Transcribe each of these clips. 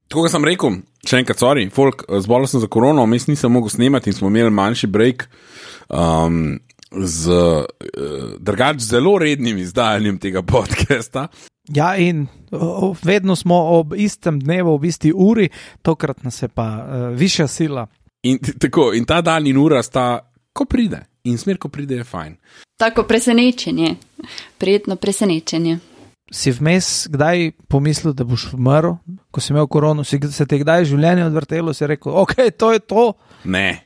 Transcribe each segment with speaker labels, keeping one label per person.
Speaker 1: Tako kot sem rekel, še enkrat, sorry, folk, zbolel sem za korono, mes nisem mogel snemati in smo imeli manjši break z drugač zelo rednim izdajanjem tega podcasta.
Speaker 2: Ja, in vedno smo ob istem dnevu, ob isti uri, tokrat nas je pa višja sila.
Speaker 1: In ta dan in ura sta, ko pride. In smer, ko pride, je fajn.
Speaker 3: Tako presenečenje, prijetno presenečenje.
Speaker 2: Si vmes kdaj pomislil, da boš umrl, ko si imel korono? Se te kdaj življenje odvrtelo, si rekel, ok, to je to?
Speaker 1: Ne,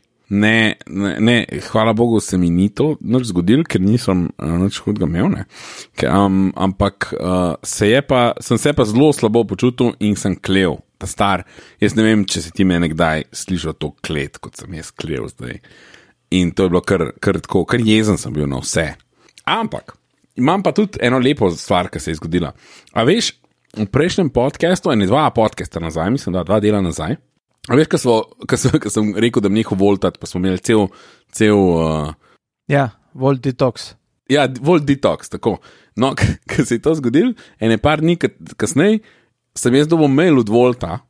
Speaker 1: hvala Bogu se mi ni to nič zgodilo, ker nisem nič hudega imel, ne. Ampak sem se pa zelo slabo počutil in sem klev, ta star. Jaz ne vem, če si ti me nekdaj slišal to klet, kot sem jaz klev zdaj. In to je bilo kar jezen sem bil na vse. Ampak imam pa tudi eno lepo stvar, ki se je zgodila. A veš, v prejšnjem podcastu, dva podcasta nazaj, mislim, da 2 dela nazaj, a veš, ko sem rekel, da mi neho voltat, pa smo imeli cel
Speaker 2: Ja, Volt Detox.
Speaker 1: Ja, Volt Detox, tako. No, ko se je to zgodil, ene par dni kasneje, sem jaz dobil mail od Volta,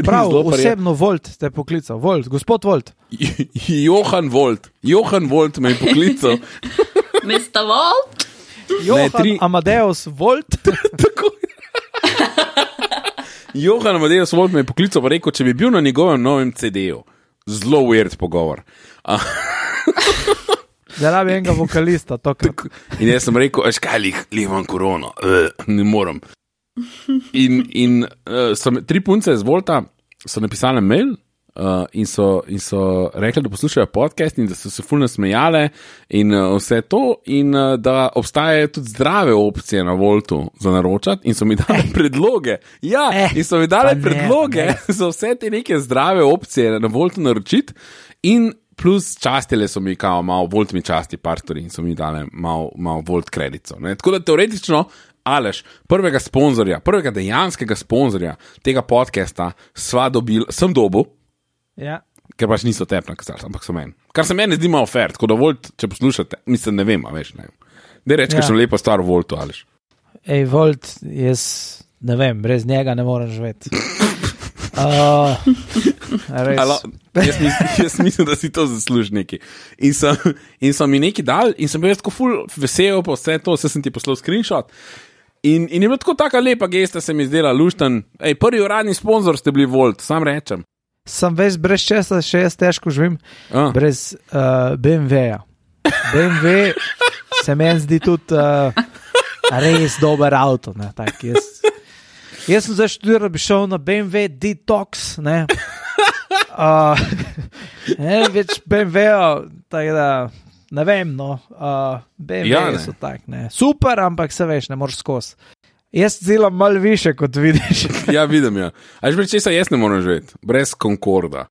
Speaker 2: prav, osebno Volt te je poklical. Volt, gospod Volt.
Speaker 1: Johan Volt me je poklical.
Speaker 3: Mr. Volt?
Speaker 2: Johan Amadeus Volt?
Speaker 1: Tako. Johan Amadeus Volt me je poklical pa rekel, če bi bil na njegovem novem CD-ju. Zelo weird pogovor.
Speaker 2: Zaradi enega vokalista tokrat.
Speaker 1: In jaz sem rekel, kaj imam korono, ne morem. In 3 punce z Volta so napisali mail in so rekli, da poslušajo podcast in da so se ful nasmejale in vse to in da obstajajo tudi zdrave opcije na Voltu za naročati in so mi dali predloge. Ja, in so mi dali predloge za vse te neke zdrave opcije na Voltu naročiti in plus častile so mi kao malo Volt mi časti par stvari in so mi dali malo Volt kredico. Tako da teoretično Aleš, prvega dejanskega sponzorja tega podcasta sem dobil,
Speaker 2: ja.
Speaker 1: Ker pač niso tepna kazali, ampak so meni. Kar se meni zdi malo fair, tako da Volt, če poslušate, mislim, ne vem, a veš, ne vem. Dej reči, kakšno lepo stvar v Voltu, Aleš.
Speaker 2: Ej, Volt, jaz ne vem, brez njega ne morem živeti.
Speaker 1: Jaz mislim, da si to zasluži neki. In so mi neki dal in sem bil jaz tako ful vesel pa vse to, vse sem ti poslal screenshot. In je bila tako taka lepa gesta, se mi zdela lušten. Ej, prvi uradni sponzor ste bili Volt, sam rečem.
Speaker 2: Sem veš, brez česa še jaz težko živim, brez BMW-ja. BMW se meni zdi tudi res dober avto, ne, tak, jaz sem zdaj študiral, bi šel na BMW Detox, ne, več BMW-ja, tako da, ne vem, no, BMW so tak, ne, super, ampak se veš, ne moreš skozi. Jaz celam malo više, kot vidiš.
Speaker 1: Ja, vidim, ja. A že česa jaz ne moram živeti, brez Concorda.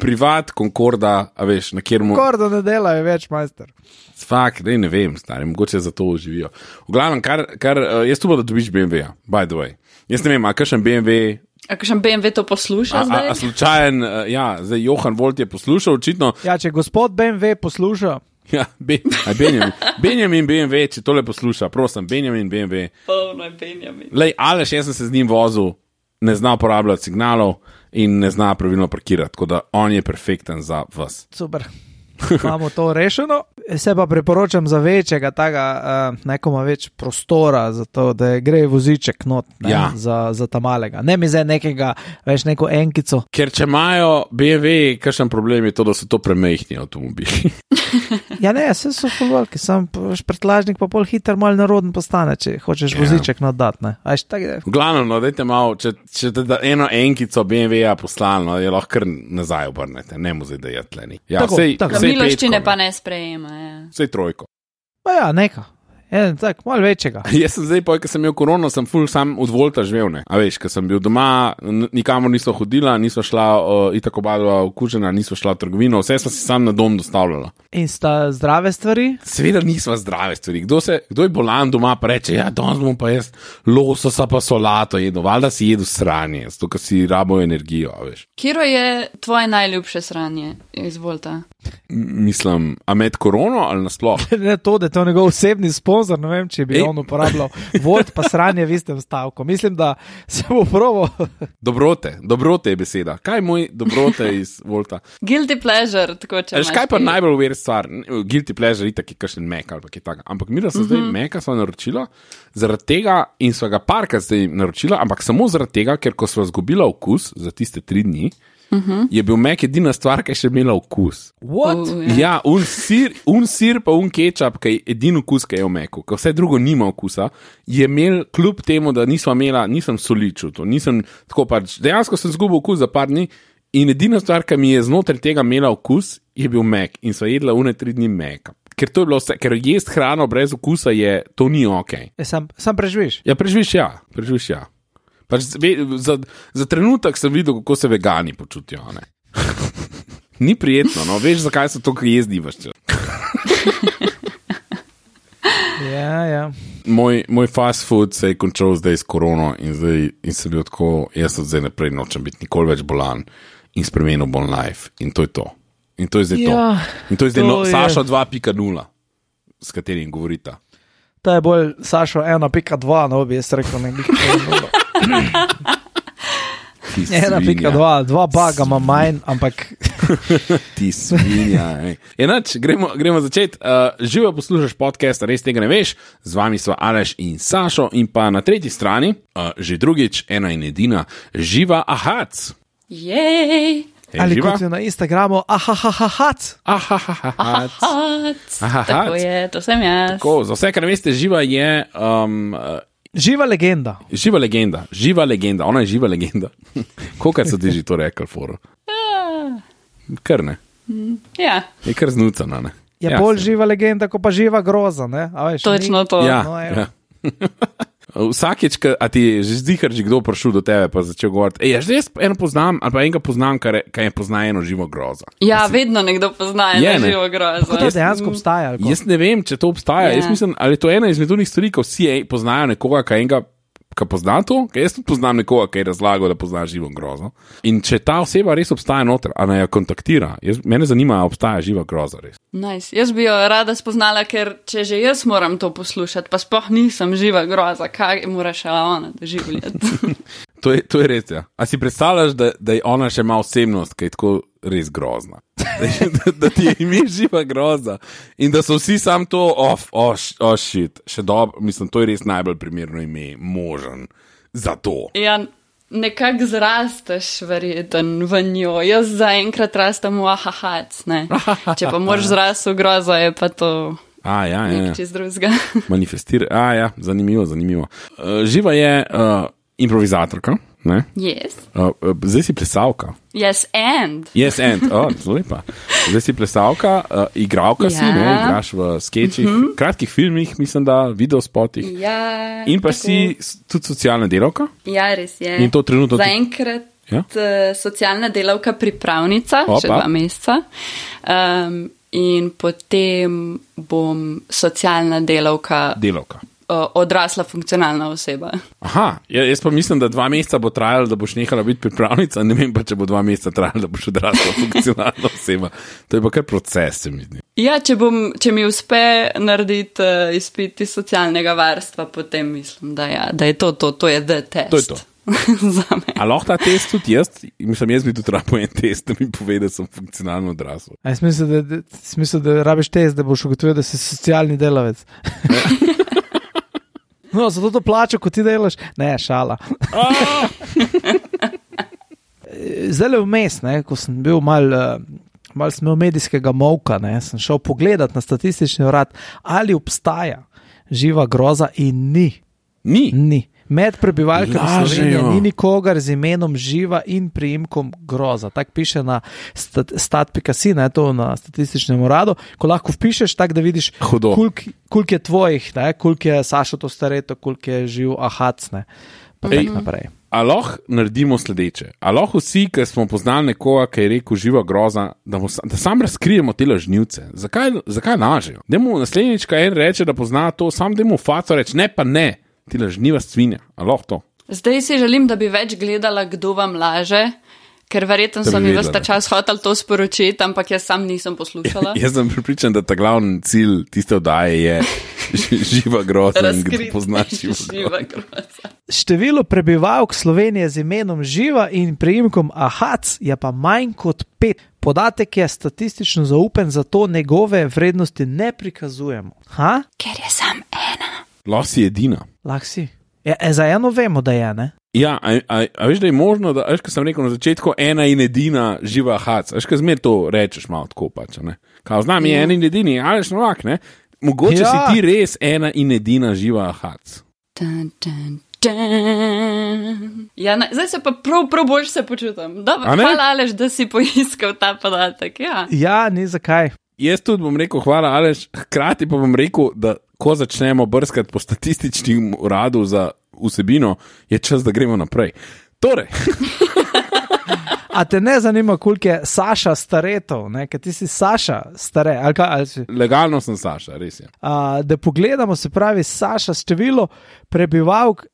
Speaker 1: Privat, Concorda, a veš, na kjer mu...
Speaker 2: Concorda ne delajo več, majster.
Speaker 1: Fak, dej ne vem, stari, mogoče za to živijo. V glavnem, jaz tu bo, da dobiš BMW-ja, by the way. Jaz ne vem, a kakšen BMW...
Speaker 3: A kakšen BMW to posluša zdaj?
Speaker 1: A slučajen, ja, zdaj Johan Volt je poslušal, očitno...
Speaker 2: Ja, če gospod BMW posluša...
Speaker 1: Ja, Benjamin BMW, če tole posluša, prosim, Benjamin BMW.
Speaker 3: Polno je Benjamin.
Speaker 1: Lej, Aleš, jaz sem se z njim vozil, ne zna uporabljati signalov in ne zna pravilno parkirati, tako da on je perfekten za vas.
Speaker 2: Super. Imamo to rešeno. Se pa priporočam za večjega, nekoma več prostora, zato da gre voziček not, ne, ja. za tamalega. Ne mi zdaj nekega, veš, neko enkico.
Speaker 1: Ker če imajo BMW, kakšen problem je to, da so to premehni avtomobili.
Speaker 2: Ja ne, vse so veliki, sam pretlažnik pa pol hiter malo naroden postane, če hočeš voziček nadat, ne.
Speaker 1: V glavnem, no, dajte malo, če te da eno enkico BMW-ja poslali, je lahko kar nazaj obrnete, ne mu zdaj da je tleni. Ja,
Speaker 3: tako. Miloščine pa ne sprejema, ja.
Speaker 1: Vsej trojko.
Speaker 2: Pa ja, neka. Tak, malo večjega.
Speaker 1: Jaz sem zdaj, ko sem imel korono, sem ful sam od Volta živel, ne. A veš, ko sem bil doma, nikamor nisva hodila, nisva šla itako badova okužena, nisva šla v trgovino, vse sva si sam na dom dostavljala.
Speaker 2: In sta zdrave stvari?
Speaker 1: Seveda nisva zdrave stvari. Kdo je bolan doma pa reče, ja, danes bom pa jaz lososa pa solato jedel, valjda si jedu sranje, zato ker si rabo energijo, a veš.
Speaker 3: Kiro je tvoje najljubše sranje iz Volta?
Speaker 1: Mislim, a med korono ali nasploh?
Speaker 2: Ne to, da je to njegov osebni sponzor, ne vem, če bi on uporabljal Volt pa sranje v istem stavku. Mislim, da se bo probo.
Speaker 1: Dobrote je beseda. Kaj je moj dobrote iz Volta?
Speaker 3: Guilty pleasure, tako če imaš.
Speaker 1: Kaj pa najbolj uver stvar? Guilty pleasure itak je kakšen Mac ali pa kaj taka. Ampak mi da so zdaj Maca sva naročila, zaradi tega in sva ga parkrat zdaj naročila, ampak samo zaradi tega, ker ko sva zgubila okus za tiste 3 dni, je bil Mac edina stvar, ki je še imela okus.
Speaker 2: What?
Speaker 1: Ja, un sir pa un kečap, ki je edini okus, ki je v Macu, ker vse drugo nima okusa, je imel kljub temu, da nisem soli čutil, nisem tako pač, dejansko sem zgubil okus za par dni in edina stvar, ki mi je znotraj tega imela okus, je bil Mac in sva jedla une 3 dni Maca. Ker to je bilo vse, ker jest hrano brez okusa to ni okej.
Speaker 2: Sam preživiš?
Speaker 1: Ja, preživiš ja. Pač za trenutek sem videl, kako se vegani počutijo. Ne? Ni prijetno, no? Veš, zakaj so to jezni vašče.
Speaker 2: Ja.
Speaker 1: Moj fast food se je končal zdaj s korono in sem bil tako, jaz od zdaj naprej nočem biti nikoli več bolan in spremenil bon life. In to je to. In to je zdaj to. In to je zdaj Sašo 2.0, s katerim govorita.
Speaker 2: To je bolj Sašo 1.2, no bi jaz rekel nekaj. 1.2, 2 baga ima manj, ampak
Speaker 1: ti svinja. Enač, gremo začeti. Živo poslušaš podcast, res tega ne veš. Z vami so Aleš in Sašo in pa na tretji strani, že drugič, ena in edina, Živa Ahac.
Speaker 3: Jej!
Speaker 2: Ali kot je na Instagramu, ahahahahac.
Speaker 3: Tako je, to sem jaz.
Speaker 1: Tako, za vse, kar ne veste, Živa je...
Speaker 2: Živa legenda.
Speaker 1: Ona je živa legenda. Kolikrat so ti že to rekli, foro? Kar ne.
Speaker 3: Ja.
Speaker 1: Je kar znucana, ne.
Speaker 2: Je bolj živa legenda, kot pa živa groza, ne?
Speaker 3: Točno to.
Speaker 1: Ja. Vsakeč, a ti je že zdihar, že kdo prišel do tebe pa začel govoriti, jaz eno poznam, ali pa enega poznam, kaj je pozna eno živo grozo.
Speaker 3: Ja, vedno nekdo pozna eno živo grozo.
Speaker 2: Kako to dejansko obstaja?
Speaker 1: Jaz ne vem, če to obstaja. Jaz mislim, ali to je ena izmed unih stvari, ko vsi poznajo nekoga, kaj pozna to, kaj jaz tudi poznam nekoga, kaj je razlagal, da pozna živo grozo. In če ta oseba res obstaja noter, a ne jo kontaktira, mene zanima, obstaja živa groza res.
Speaker 3: Nice. Jaz bi jo rada spoznala, ker če že jaz moram to poslušati, pa sploh nisem živa groza, kaj mora še ona doživljati.
Speaker 1: To je res, ja. A si predstavljaš, da je ona še ima osebnost, ki je tako res grozna? Da ti je ime živa groza in da so vsi sam to shit, še dobro, mislim, to je res najbolj primerno ime, možen za to.
Speaker 3: Ja, nekako zrasteš verjeten v njo. Jaz zaenkrat rastem v ahahac, ne. Če pa moraš zrasti v grozo, je pa to... nekaj čez drugega.
Speaker 1: Zanimivo. Živa je improvizatorka, ne?
Speaker 3: Yes.
Speaker 1: Zdaj si plesalka.
Speaker 3: Yes, and.
Speaker 1: Zelo lepa. Zdaj si plesalka, igralka si, ne? Igraš v skečih, kratkih filmih, mislim, da videospotih.
Speaker 3: Ja.
Speaker 1: In pa
Speaker 3: tako.
Speaker 1: si tudi socialna delavka.
Speaker 3: Ja, res je.
Speaker 1: In to trenutno...
Speaker 3: Zaenkrat socialna delavka pripravnica, že 2 meseca. In potem bom socialna delavka. Odrasla funkcionalna oseba.
Speaker 1: Aha, jaz pa mislim, da 2 meseca bo trajalo, da boš nehala biti pripravnica, ne vem pa, če bo 2 meseca trajalo, da boš odrasla funkcionalna oseba. To je pa kar proces, se mi zdi. Ja,
Speaker 3: če mi uspe narediti izpit iz socialnega varstva, potem mislim, da je to je the test.
Speaker 1: To je to. A lahko ta test tudi jaz bi tudi rabil en test, da mi pove, da sem funkcionalno odrasel.
Speaker 2: A jaz mislim, da rabiš test, da boš ugotovil, da si socialni delavec. No, zato to plačo, ko ti delaš. Ne, šala. Zdaj le vmes, ko sem bil malo sem imel medijskega molka, sem šel pogledat na statistični urad, ali obstaja živa groza in ni. Ni. Med prebivalkami Slovenije ni nikogar z imenom Živa in priimkom Groza. Tak piše na stat.si, to na statističnem uradu, ko lahko vpišeš tak, da vidiš, koliko je tvojih, koliko je Sašo to stareto, koliko je živ Ahac, pa tak naprej.
Speaker 1: A lahko naredimo sledeče? A lahko vsi, ki smo poznali nekoga, ki je rekel živa groza, da sam razkrijemo te lažnivce? Zakaj lažejo? Dajmo naslednjič, kaj en reče, da pozna to, sam dajmo faco reči, ne pa ne. Ti lažniva svinja, a lahko to?
Speaker 3: Zdaj si želim, da bi več gledala, kdo vam laže, Ker verjetno so mi ves ta čas hoteli to sporočiti, ampak jaz sam nisem poslušala.
Speaker 1: Jaz sem pripričan, da ta glavni cilj tiste oddaje je živa groza in kdo poznaš živa groza.
Speaker 2: Število prebivalk Slovenije z imenom Živa in priimkom Ahac je pa manj kot 5. Podatek je statistično zaupen, zato njegove vrednosti ne prikazujemo.
Speaker 3: Ker je sam ena.
Speaker 1: Lahko si edina.
Speaker 2: Lahko si. Za eno vemo, da je, ne?
Speaker 1: Ja, a veš, da je možno, da, veš, ko sem rekel na začetku, ena in edina Živa Ahac. Veš, ko zmer to rečeš malo tako pač, ne? Kao znam je ena in edini, Aleš Novak, ne? Mogoče si ti res ena in edina Živa Ahac.
Speaker 3: Ja, zdaj se pa prav boljš se počutam. Dobro, hvala Aleš, da si poiskal ta podatek.
Speaker 2: Ja, ni zakaj.
Speaker 1: Jaz tudi bom rekel hvala Aleš, hkrati pa bom rekel, da ko začnemo brskati po statističnem uradu za vsebino, je čas, da gremo naprej. Torej.
Speaker 2: A te ne zanima, koliko je Saša staretov, ne? Ker ti si Saša stare. Ali si...
Speaker 1: Legalno sem Saša, res je.
Speaker 2: Da pogledamo, se pravi Saša število prebivalk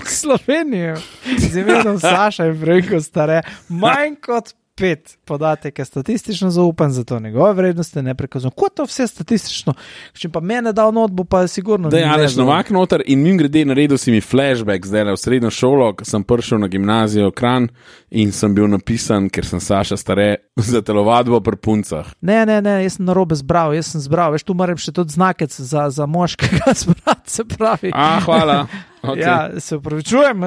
Speaker 2: Slovenije z imenom Saša in preko stare. Manj kot 5. Podatek je statistično zaupan, zato njegove vrednosti ne prikazujem. Ko to vse statistično? Če pa mene dal not, bo pa sigurno...
Speaker 1: Da je Aleš Novak noter in mim grede naredil si mi flashback zdaj v srednjo šolo, ko sem prišel na gimnazijo Kranj in sem bil napisan, ker sem Saša stare, za telovadbo pri puncah.
Speaker 2: Ne, jaz sem narobe zbral, veš, tu moram še tudi znakec za moškega zbrati, se pravi.
Speaker 1: Hvala. Okay.
Speaker 2: Ja, se upravičujem,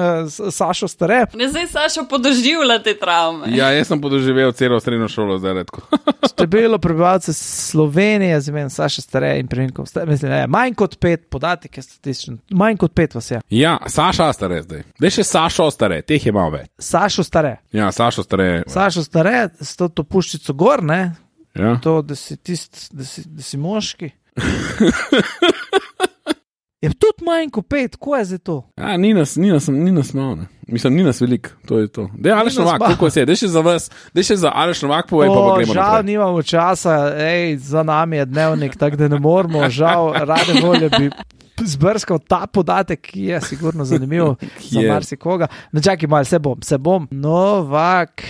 Speaker 2: Sašo stare.
Speaker 3: Ne, zdaj Sašo podoživlja te travme.
Speaker 1: Ja, jaz sem podoživel celo srednjo šolo zdaj redko.
Speaker 2: Število prebivalcev Slovenije z imenom Saša stare in priimkom stare, mislim, manj kot 5, podatek je statističen, manj kot 5 vas je.
Speaker 1: Ja, Saša stare zdaj. Daj še Sašo stare, teh je malo več.
Speaker 2: Sašo stare.
Speaker 1: Ja, Sašo stare.
Speaker 2: Sašo stare, s to puščico gor, ne?
Speaker 1: Ja.
Speaker 2: To, da si moški. Je tudi manj kot 5, ko je za to?
Speaker 1: Ja, ni nas malo, ne. Mislim, ni nas veliko, to je to. Dej Aleš Novak, koliko se je, dej še za vas, dej še za Aleš Novak povej, pa gremo naprej.
Speaker 2: Žal nimamo časa, za nami je dnevnik, tako da ne moramo, žal, rade volje bi zbrskal ta podatek, ki je sigurno zanimiv za marsikoga. No, čakaj malo, se bom. Novak,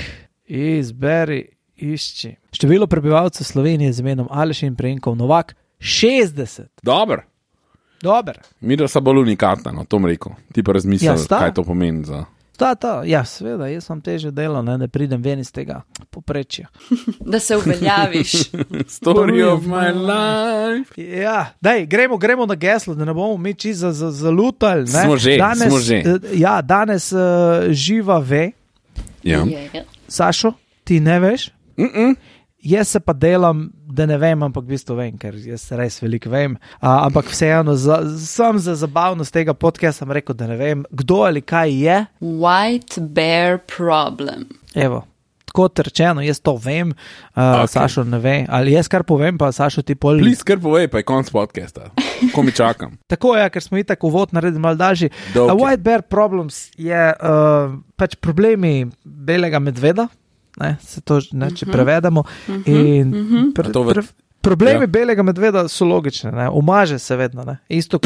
Speaker 2: izberi, išči. Število prebivalcev Slovenije z imenom Aleš in priimkom Novak, 60.
Speaker 1: Dober. Mi da so bolj unikatna, no, to rekel. Ti pa razmisli, kaj to pomeni za...
Speaker 2: Ja, seveda, jaz sem teže delal, ne, da pridem ven iz tega poprečja.
Speaker 3: Da se uveljaviš.
Speaker 1: Story of my life.
Speaker 2: Ja, daj, gremo na geslo, da ne bomo mi čisto zalutali.
Speaker 1: Smo že.
Speaker 2: Ja, danes Živa ve.
Speaker 1: Ja.
Speaker 2: Sašo, ti ne veš? Jaz se pa delam, da ne vem, ampak v bistvu vem, ker jaz res veliko vem. Ampak vseeno, sem za zabavnost tega podcasta sem rekel, da ne vem, kdo ali kaj je.
Speaker 3: White bear problem.
Speaker 2: Evo, tako rečeno, jaz to vem, okay. Sašo ne ve. Ali jaz kar povem, pa Sašo ti pol...
Speaker 1: Please, kar povej, pa je konc podcasta. Ko mi čakam.
Speaker 2: Tako je, ker smo itak uvod naredili malo daljši. White bear problems je pač problemi belega medveda. Ne, se to, ne, če prevedemo. In problemi belega medveda so logični, ne, umaže se vedno, ne. Isto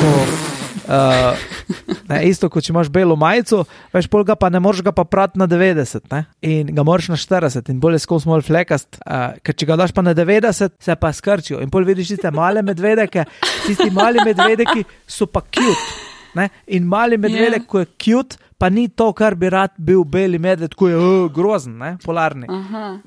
Speaker 2: ko če imaš belo majico, veš, pol ga pa ne moreš ga pa prati na 90, ne, in ga moraš na 40 in bolj je skos malo flekast, ker če ga daš pa na 90, se pa skrčijo in pol vidiš tiste male medvedeke, tisti mali medvedeki so pa cute, ne, in mali medvedek, ko je cute, pa ni to, kar bi rad bil beli medved, ko je grozen, ne, polarni.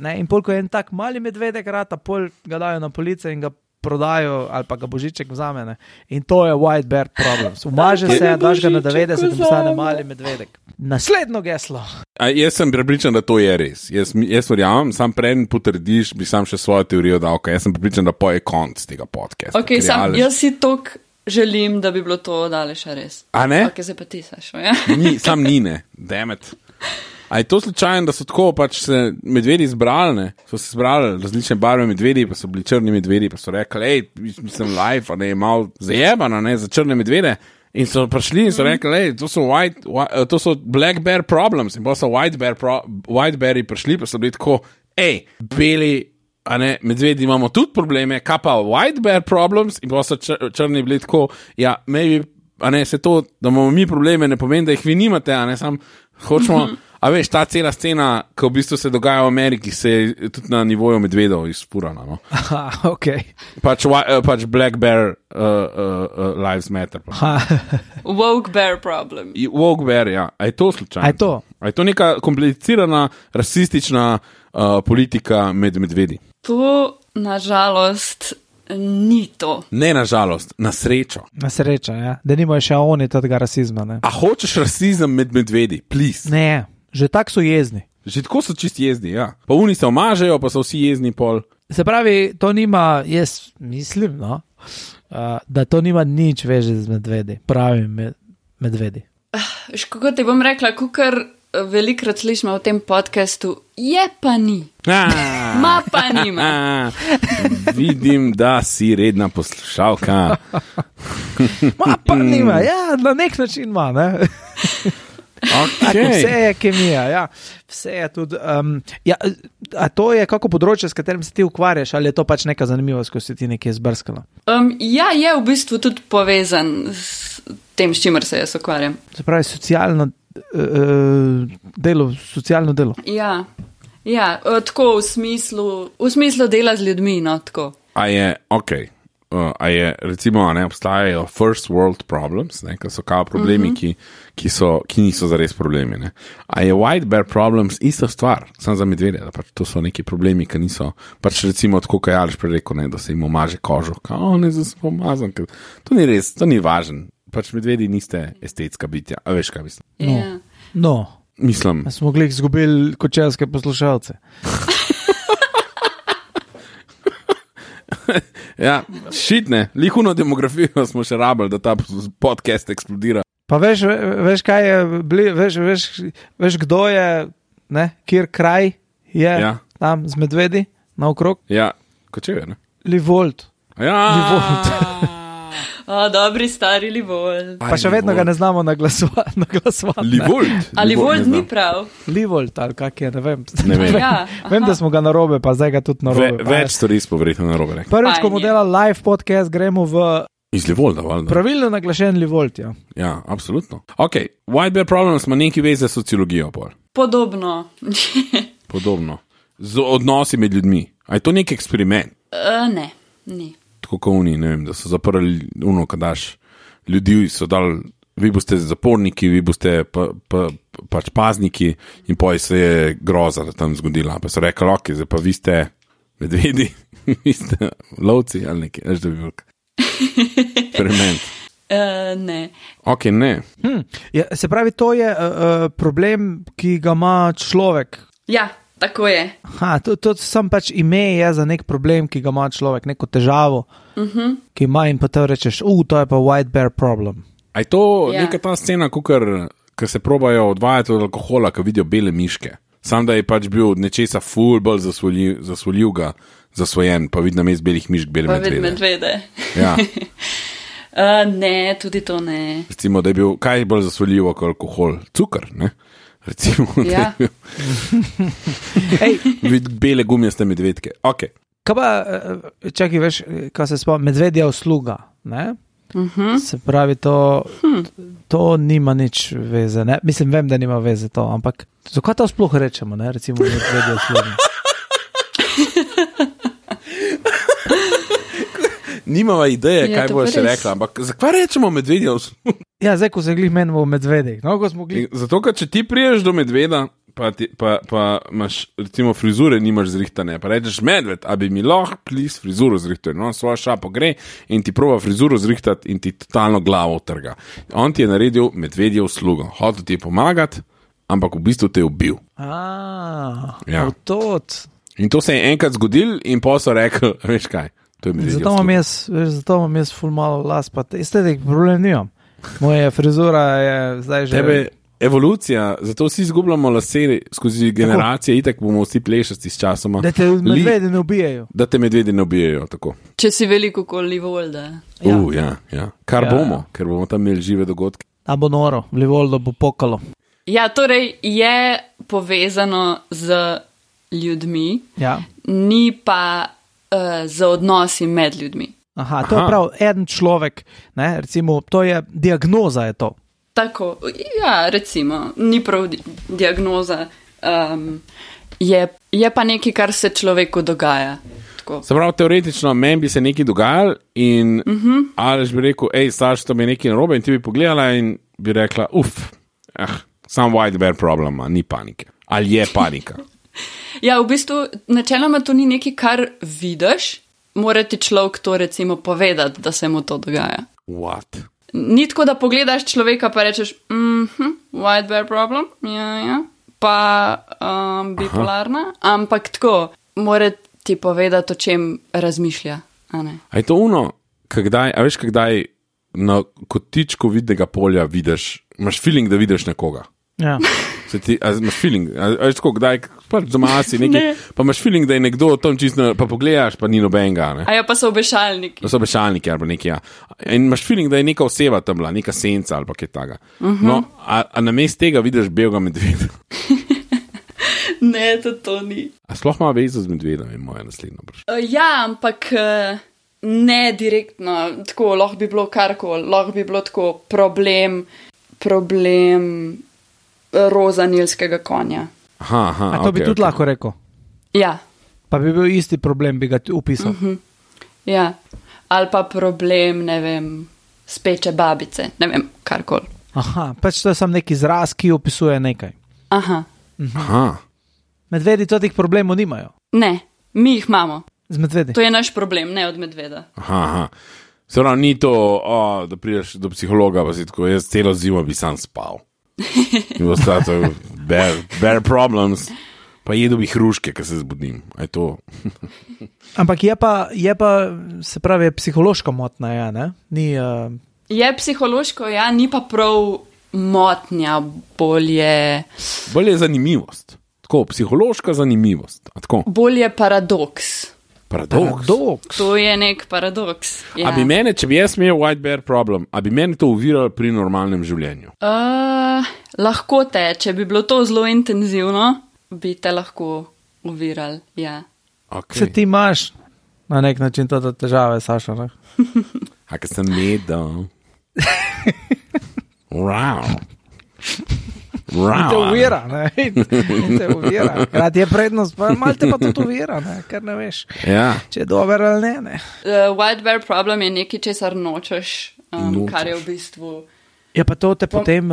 Speaker 2: Ne, in pol, ko je en tak mali medvedek rata, pol ga dajo na police in ga prodajo, ali pa ga božiček vzame, ne. In to je white bear problems. Umaže se, daš ga na 90 in postane mali medvedek. Naslednjo geslo.
Speaker 1: Jaz sem prepričan, da to je res. Jaz verjamem, sam preden potrdiš, bi sam še svojo teorijo dal, jaz sem prepričan, da poje konc tega podcasta.
Speaker 3: Ok, jaz si tok želim, da bi bilo to Aleša res.
Speaker 1: A ne?
Speaker 3: Ok, zdaj pa ti, Sašo, ja?
Speaker 1: Sam ni, ne. Dammit. A je to slučajno, da so tako pač se medvedi zbrali, ne? So se zbrali različne barve medvedi, pa so bili črni medvedi, pa so rekli, mislim, life, a ne, malo zajebano, ne, za črne medvede. In so prišli in so rekli, to so black bear problems. In pa so white beari prišli, pa so bili tako, beli, a ne, medvedi imamo tudi probleme, kaj pa white bear problems, in pa so črni bili tako, ja, maybe, a ne, se to, da imamo mi probleme, ne pomeni, da jih vi nimate, a ne, sam hočemo, A veš, ta cela scena, ki v bistvu se dogaja v Ameriki, se je tudi na nivoju medvedov izpurana. No?
Speaker 2: Aha, ok.
Speaker 1: Pač Black Bear Lives Matter.
Speaker 3: Woke Bear problem.
Speaker 1: Woke Bear, ja. A je to slučajno? A je to neka komplicirana, rasistična politika med medvedi?
Speaker 3: To, nažalost, ni to.
Speaker 1: Ne, nažalost, na srečo.
Speaker 2: Na srečo, ja. Da nimajo še oni tega rasizma. Ne?
Speaker 1: A hočeš rasizem med medvedi? Please.
Speaker 2: Ne, že tako so jezni.
Speaker 1: Že tako so čist jezni, ja. Pa oni se omažejo, pa so vsi jezni pol.
Speaker 2: Se pravi, to nima, jaz mislim, no, da to nima nič veže z medvedi, pravi medvedi.
Speaker 3: Kako ti bom rekla, kukar velikrat slišimo v tem podcastu, je pa ni. Ma pa nima.
Speaker 1: Vidim, da si redna poslušalka.
Speaker 2: Ma pa nima, ja, na nek način ima, ne?
Speaker 1: Okay.
Speaker 2: Vse je kemija, ja. Vse je tudi. A to je kako področje, s katerim se ti ukvarjaš, ali je to pač neka zanimivost, ko si ti nekje zbrskala?
Speaker 3: Ja, je v bistvu tudi povezan s tem, s čimer se jaz ukvarjam.
Speaker 2: Se pravi, socialno delo.
Speaker 3: Ja, tako v smislu dela z ljudmi, no, tako.
Speaker 1: A je, recimo, ne, obstajajo first world problems, ne, ki so kao problemi, ki niso zares problemi, ne. A je white bear problems ista stvar, samo za medvede, da pač to so neki problemi, ki niso, pač recimo tako, kaj Aleš prereko, ne, da se jim omaže kožo, ne, zdaj se pomazam, to ni res, to ni važen, pač medvedi niste estetska bitja, a veš, kaj mislim?
Speaker 2: No.
Speaker 1: Mislim.
Speaker 2: Smo glih zgubili kočevske poslušalce.
Speaker 1: Ja, šitne, lihuno demografijo smo še rabili, da ta podcast eksplodira.
Speaker 2: Pa veš kaj je, veš kdo je, ne, kjer kraj je, ja. Tam z medvedi, naokrog?
Speaker 1: Ja, Kočevje, ne?
Speaker 2: Livold.
Speaker 1: Ja.
Speaker 2: Livold.
Speaker 3: Dobri stari Livold.
Speaker 2: Pa še vedno ga ne znamo naglasovati.
Speaker 1: Livold?
Speaker 3: A Livold ni prav?
Speaker 2: Livold, ali kak je, ne vem.
Speaker 1: Ne vem.
Speaker 3: Ja,
Speaker 2: vem, da smo ga narobe, pa zdaj ga tudi narobe.
Speaker 1: Več stvari smo verjetno narobe rekli.
Speaker 2: Prvič, ko bomo delali live podcast, gremo v...
Speaker 1: Iz Livolda, valjda.
Speaker 2: Pravilno naglašen Livold, ja.
Speaker 1: Ja, absolutno. Ok, white bear problems ima neki veze s sociologijo, pol.
Speaker 3: Podobno.
Speaker 1: Z odnosi med ljudmi. A je to nek eksperiment?
Speaker 3: Ne, ni.
Speaker 1: Tako kot oni, ne vem, da so zaprli kad daš ljudi, so dali, vi boste zaporniki, vi boste pač pazniki in poj se je groza tam zgodila. Pa so rekli, ok, zdaj pa vi ste medvedi, vi ste lovci ali nekaj, veš da bi bil eksperiment.
Speaker 3: Ne.
Speaker 1: Ok, ne.
Speaker 2: Ja, se pravi, to je problem, ki ga ima človek.
Speaker 3: Ja. Tako je.
Speaker 2: To sem pač ime je za nek problem, ki ga ima človek, neko težavo, ki ima in potem rečeš, to je pa white bear problem.
Speaker 1: A je to neka ta scena, ko se probajo odvajati od alkohola, ko vidijo bele miške? Sam da je pač bil nečesa ful bolj zasvoljivga, zasvojen, pa vidi namest belih mišk, bele medvede. Ja.
Speaker 3: Ne, tudi to ne.
Speaker 1: Recimo, da je bil, kaj je bolj zasvoljivo kot alkohol? Cukor, ne? Recimo,
Speaker 3: ja.
Speaker 1: Vid bele gumijaste medvedke. Ok.
Speaker 2: Kaj pa, čakaj, veš, kaj se spomnim, medvedja usluga, ne? Se pravi, to nima nič veze, ne? Mislim, vem, da nima veze to, ampak zakaj to sploh rečemo, ne? Recimo, medvedja usluga.
Speaker 1: Nimava ideje, kaj bo še rekla, ampak zakaj rečemo medvedja usluga?
Speaker 2: Ja, zdaj, ko se glih menimo v medvedih. No,
Speaker 1: zato, ker če ti priješ do medveda, pa imaš, recimo, frizure nimaš zrihtane, pa rečeš medved, a bi mi lahko plis frizuro zrihtal, no, svoja šapo gre in ti proba frizuro zrihtati in ti totalno glavo trga. On ti je naredil medvedje uslugo, hotel ti je pomagati, ampak v bistvu te je ubil.
Speaker 2: Ja.
Speaker 1: In to se je enkrat zgodil in pa so rekli, veš kaj, to je medvedje usluga.
Speaker 2: Zato imam jaz ful malo las, pa estetik problem nimam. Moja frizura je zdaj že...
Speaker 1: Tebe evolucija, zato vsi izgubljamo lase skozi generacije, itak bomo vsi plešasti s časoma.
Speaker 2: Da te medvedi ne ubijajo.
Speaker 1: Da te medvedi ne ubijajo, tako.
Speaker 3: Če si veliko kot Livolda.
Speaker 1: Ja. Ker bomo tam imeli žive dogodke.
Speaker 2: A bo noro, Livoldo bo pokalo.
Speaker 3: Ja, torej je povezano z ljudmi, ni pa z odnosi med ljudmi.
Speaker 2: To je prav, en človek, ne, recimo, to je diagnoza je to.
Speaker 3: Tako, ja, recimo, ni prav diagnoza, je pa nekaj, kar se človeku dogaja. Tako.
Speaker 1: Se pravi, teoretično, meni bi se nekaj dogajalo in Aleš bi rekel, Saš, to mi je nekaj narobe in ti bi pogledala in bi rekla, sam white bear problem, ni panike. Ali je panika?
Speaker 3: Ja, v bistvu, načeloma to ni nekaj, kar vidiš, mora ti človek to recimo povedati, da se mu to dogaja.
Speaker 1: What?
Speaker 3: Ni tako, da pogledaš človeka pa rečeš, white bear problem, ja, pa bipolarna, ampak tako, mora ti povedati, o čem razmišlja, a ne?
Speaker 1: A je to ono, kdaj na kotičku vidnega polja vidiš, imaš feeling, da vidiš nekoga?
Speaker 2: Ja.
Speaker 1: Imaš feeling, tako, kdaj, pač doma si nekaj, pa imaš feeling, da je nekdo tam čisto, pa pogledaš, pa ni nobenega, ne?
Speaker 3: A ja, pa so obešalniki.
Speaker 1: So obešalniki, ali pa nekaj, ja. In imaš feeling, da je neka oseba tam bila, neka senca ali pa kaj taga. No, a namesto tega vidiš belega medveda?
Speaker 3: Ne, to ni.
Speaker 1: A sploh ima vezo z medvedom, je moja naslednja vprašanje.
Speaker 3: Ja, ampak ne direktno, tako, lahko bi bilo karkoli, lahko bi bilo tako problem roza nilskega konja.
Speaker 2: A to bi tudi lahko rekel?
Speaker 3: Ja.
Speaker 2: Pa bi bil isti problem, bi ga opisal.
Speaker 3: Ja, ali pa problem, ne vem, speče babice, ne vem, karkoli.
Speaker 2: Aha, pač to je samo neki izraz, ki opisuje nekaj.
Speaker 3: Aha.
Speaker 2: Medvedi teh problemov nimajo.
Speaker 3: Ne, mi jih imamo.
Speaker 2: Z medvedi.
Speaker 3: To je naš problem, ne od medveda.
Speaker 1: Aha. Se pravi, ni to, da prideš do psihologa, pa si tako, jaz celo zimo bi sam spal. In bo stato bear problems, pa jedu bi hruške, ko se zbudim. Aj to.
Speaker 2: Ampak je pa, se pravi, psihološko motna, ja, ne? Ni,
Speaker 3: Je psihološko, ja, ni pa prav motnja, bolje
Speaker 1: zanimivost. Tako, psihološka zanimivost.
Speaker 3: Bolje paradoks.
Speaker 1: Paradoks?
Speaker 3: To je nek paradoks. Ja.
Speaker 1: A bi mene, če bi jaz imel white bear problem, a bi mene to oviralo pri normalnem življenju?
Speaker 3: Lahko te, če bi bilo to zelo intenzivno, bi te lahko ovirali, ja.
Speaker 1: Okay.
Speaker 2: Se ti imaš na nek način to težave, Saša, ne?
Speaker 1: A kaj sem medel? Wow.
Speaker 2: Te uvira, ne? Te uvira. Rad je prednost, pa malo te pa tudi uvira, ne? Ker ne veš, če je dober ali ne.
Speaker 3: White bear problem je nekaj, česar nočeš, kar je v bistvu...
Speaker 2: Ja, pa to te potem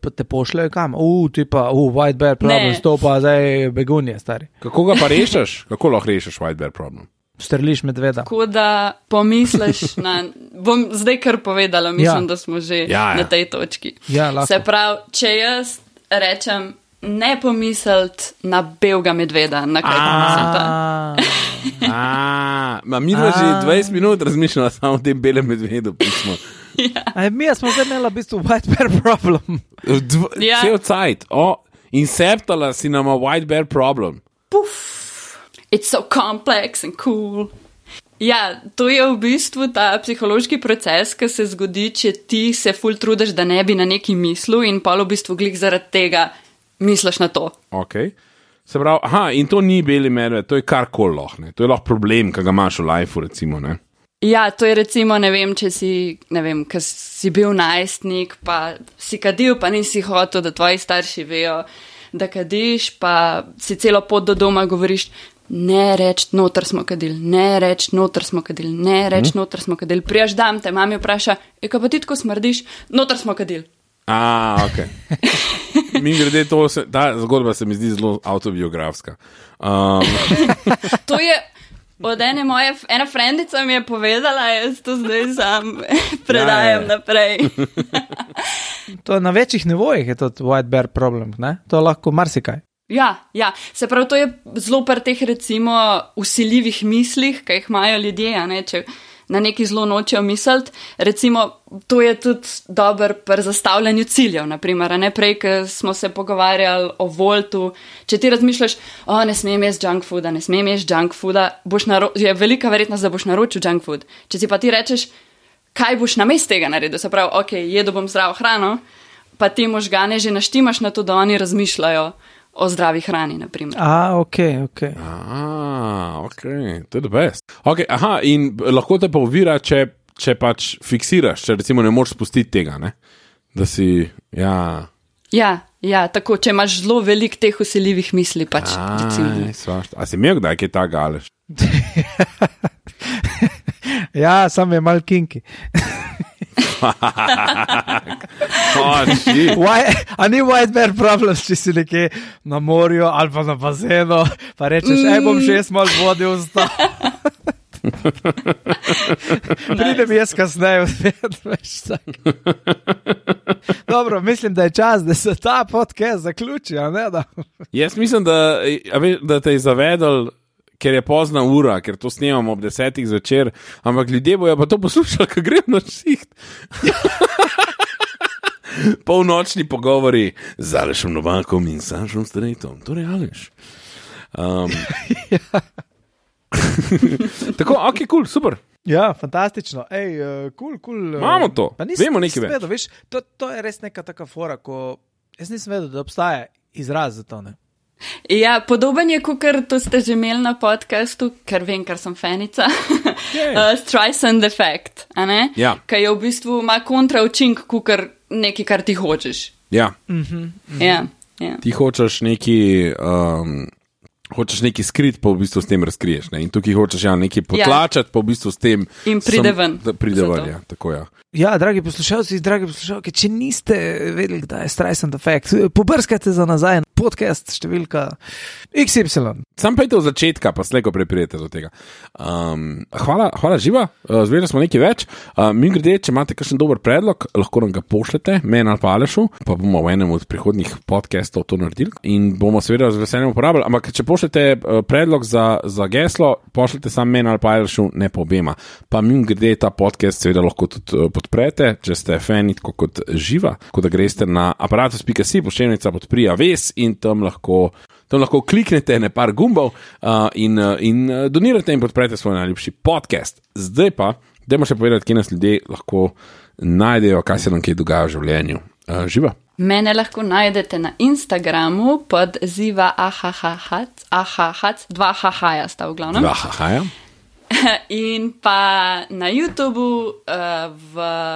Speaker 2: te pošljajo kam? Ti pa, white bear problem, to pa zdaj begunje, stari.
Speaker 1: Kako ga pa rešiš? Kako lahko rešiš white bear problem?
Speaker 2: Streliš medveda.
Speaker 3: Tako da pomisliš na... Bom zdaj kar povedala, mislim, da smo že na tej točki.
Speaker 2: Ja, lahko.
Speaker 3: Se pravi, če jaz rečem, ne pomisliti na belega medveda, na kaj pomislite.
Speaker 1: Mi smo že 20 minut razmišljali samo o tem belem medvedu, pismo.
Speaker 2: Ja. Mi smo zdaj imeli v bistvu white bear problem.
Speaker 1: Cel cajt. Inceptala si nam white bear problem.
Speaker 3: Puf. It's so complex and cool. Ja, to je v bistvu ta psihološki proces, ki se zgodi, če ti se ful trudiš, da ne bi na neki mislil in pa v bistvu glih zaradi tega misliš na to.
Speaker 1: Ok. Se pravi, in to ni beli medved, to je karkoli lahko, to je lahko problem, ki ga imaš v lifeu, recimo, ne?
Speaker 3: Ja, to je recimo, ne vem, če si, ko si bil najstnik, pa si kadil, pa nisi hotel, da tvoji starši vejo, da kadiš, pa si celo pot do doma govoriš, ne reč, noter smo kadili, ne reč, noter smo kadili, ne reč, noter smo kadili. Prijaš dam te, mami vpraša, kaj pa ti tako smrdiš, noter smo kadili.
Speaker 1: Ok. Mi grede to, ta zgodba se mi zdi zelo autobiografska.
Speaker 3: To je od ena frendica mi je povedala, jaz to zdaj sam predajam naprej.
Speaker 2: To na večjih nivojih je to white bear problem, ne? To lahko marsikaj.
Speaker 3: Ja, se pravi, to je zelo pri teh recimo vsiljivih mislih, ki jih imajo ljudje, ne, če na neki zelo nočejo misliti. Recimo, to je tudi dober pri zastavljanju ciljev, naprimer, ne prej, ko smo se pogovarjali o Voltu. Če ti razmišljaš, ne smem jesti junk fooda, je velika verjetnost, da boš naročil junk food. Če si pa ti rečeš, kaj boš namesto tega naredil, se pravi, jedu bom zdravo hrano, pa ti možgane že naštimaš na to, da oni razmišljajo o zdravi hrani, naprimer.
Speaker 1: Ok, to je the best. In lahko te pa ovira, če pač fiksiraš, če recimo ne moreš spustiti tega, ne? Da si, ja.
Speaker 3: Ja, tako, če imaš zelo veliko teh vsiljivih misli, pač.
Speaker 1: A si imel kdaj kaj takega, Aleš?
Speaker 2: Ja, sam je mal kinky. A ni white bear problem, če si nekje na morju ali pa na bazenu, pa rečeš, bom 6 mal vode vstal. Pridem jaz kasneje, veš, Dobro, mislim, da je čas, da se ta podcast zaključi, a ne da?
Speaker 1: Jaz mislim, da te je zavedel, ker je pozna ura, ker to snemamo ob 10 zvečer, ampak ljudje bojo pa to poslušali, ko grem na šiht. Polnočni pogovori z Alešem Novakom in Sašom Strejtom. Torej, Aleš. Tako, ok, cool, super.
Speaker 2: Ja, fantastično. Cool.
Speaker 1: Imamo to, vemo nekaj več.
Speaker 2: Vedel, veš, to je res neka taka fora, ko jaz nisem vedel, da obstaja izraz za to, ne?
Speaker 3: Ja, podoben je, kukar to ste že imeli na podcastu, ker vem, ker sem fanica. Streisand effect, a ne?
Speaker 1: Ja.
Speaker 3: Kaj je v bistvu ima kontra učink, kukar nekaj, kar ti hočeš.
Speaker 1: Ja.
Speaker 3: Ja.
Speaker 1: Ti hočeš nekaj skriti, pa v bistvu s tem razkriješ. Ne? In tukaj hočeš nekaj potlačati, pa v bistvu s tem...
Speaker 3: In pride ven.
Speaker 1: Pride ven, ja, tako ja.
Speaker 2: Ja, dragi poslušalci, dragi poslušalke, če niste vedeli, da je Streisand effect, pobrskajte za nazaj podcast številka XY.
Speaker 1: Sam pejte od začetka, pa slejko preprijete do tega. Hvala živa, zvedeli smo nekaj več. Mi grede, če imate kakšen dober predlog, lahko nam ga pošljete, meni ali pa Alešu, pa bomo v enem od prihodnjih podcastov to naredili in bomo seveda z veseljem uporabljali. Ampak če pošljete predlog za geslo, pošljete sam meni ali pa Alešu, ne pa obema. Pa mi grede ta podcast seveda lahko tudi podprete, če ste fani tako kot živa, tako da greste na aparatus.si, pošteljnica podprija ves in tam lahko kliknete na par gumbov in donirate in podprete svoj najljubši podcast. Zdaj pa, dajmo še povedati, kje nas ljudje lahko najdejo, kaj se nam kaj dogaja v življenju. Živa?
Speaker 3: Mene lahko najdete na Instagramu pod ziva ahahahac, 2 hahaja sta v glavnem.
Speaker 1: 2 hahaja.
Speaker 3: In pa na YouTubu v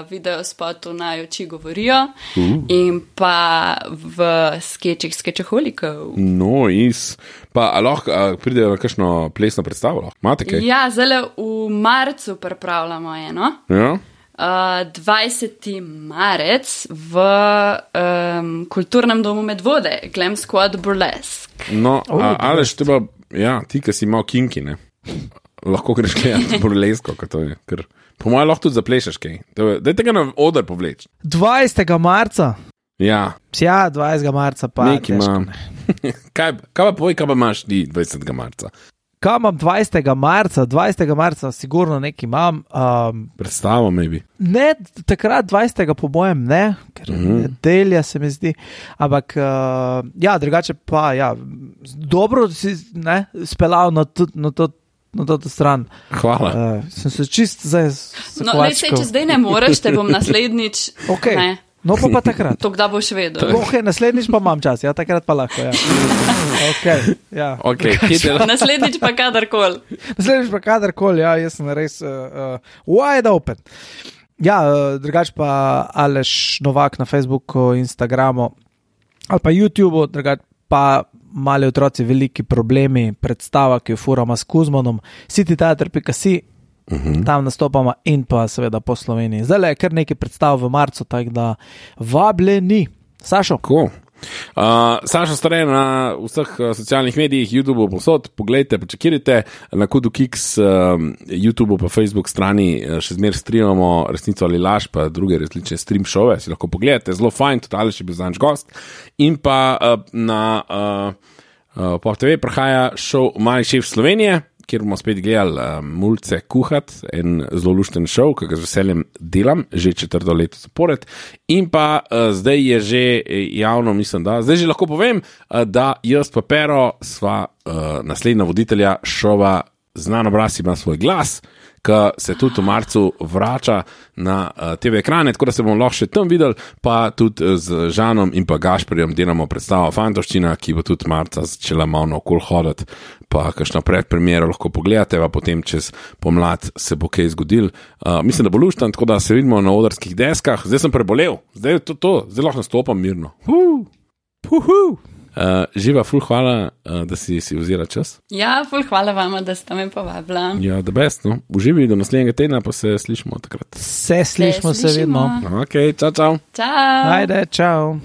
Speaker 3: videospotu Naj oči govorijo in pa v skečih skečoholikov.
Speaker 1: No, pa lahko pridejo na kakšno plesno predstavo? Imate kaj?
Speaker 3: Ja, zdaj v marcu pripravljamo eno.
Speaker 1: Ja.
Speaker 3: 20. marec v Kulturnem domu Medvode, Glam Squad Burlesque.
Speaker 1: No, Aleš, ti, ki si malo kinky, ne? Lahko greš gledati burlesko, kot to je. Ker po mojem lahko tudi zaplešeš kaj. Daj tega na oder povleč.
Speaker 2: 20. marca?
Speaker 1: Ja.
Speaker 2: Ja, 20. marca pa.
Speaker 1: Nekaj imam. Kaj pa povej, kaj pa imaš ti 20. marca?
Speaker 2: Kaj imam 20. marca? 20. marca sigurno nekaj imam.
Speaker 1: Predstavo, maybe.
Speaker 2: Ne, takrat 20. po mojem ne, ker nedelja se mi zdi. Ampak, ja, drugače pa, ja, dobro si spelal na to stran.
Speaker 1: Hvala.
Speaker 2: Sem se čist zdaj
Speaker 3: zakvačkal. Če zdaj ne moreš, te bom naslednjič.
Speaker 2: Okay.
Speaker 3: Ne.
Speaker 2: No pa takrat.
Speaker 3: To kdaj boš vedel.
Speaker 2: Ok, naslednjič pa imam čas, ja, takrat pa lahko, ja.
Speaker 1: Okay,
Speaker 3: naslednjič pa kadarkoli.
Speaker 2: Naslednjič pa kadarkoli, ja, jaz sem res wide open. Ja, drugač pa Aleš Novak na Facebooku, Instagramu ali pa YouTubeu, drugač pa Mali otroci, veliki problemi, predstava, ki jo furamo s Kuzmanom, cityteater.si, tam nastopamo in pa seveda po Sloveniji. Zdaj je kar nekaj predstav v marcu, tako da vabljeni. Sašo?
Speaker 1: Cool. Sašo Stare na vseh socialnih medijih, YouTube, posod, pogledajte, počekirajte, na Kudu Kiks, YouTube pa Facebook strani še zmer streamamo Resnico ali laž, pa druge različne stream šove, si lahko pogledate, zelo fajn, tudi Aleš je bil zanj gost. In pa na Pop TV prihaja šov Mali šef Slovenije, kjer bomo spet gledali mulce kuhat, en zelo lušten šov, ki ga z veseljem delam, že 4. leto zapored. In pa zdaj je že javno, mislim, da zdaj že lahko povem, da jaz pa Pero sva naslednja voditelja šova Znan obraz ima svoj glas, ki se tudi v marcu vrača na TV ekrane, tako da se bomo lahko še tam videli, pa tudi z Žanom in pa Gašperjem delamo predstavo Fantovščina, ki bo tudi marca začela malo okoli hoditi, pa kakšno predpremiero lahko pogledate, pa potem čez pomlad se bo kaj zgodil. Mislim, da bo luštan, tako da se vidimo na odrskih deskah. Zdaj sem prebolel, zdaj je to, zdaj lahko nastopam mirno. Živa, ful hvala, da si vzela čas.
Speaker 3: Ja, ful hvala vama, da ste me povabila.
Speaker 1: Ja, the best, no. Uživi do naslednjega tedna, pa se slišimo takrat.
Speaker 2: Se slišimo, se vidimo.
Speaker 1: Ok, čau.
Speaker 3: Čau.
Speaker 2: Ajde, čau.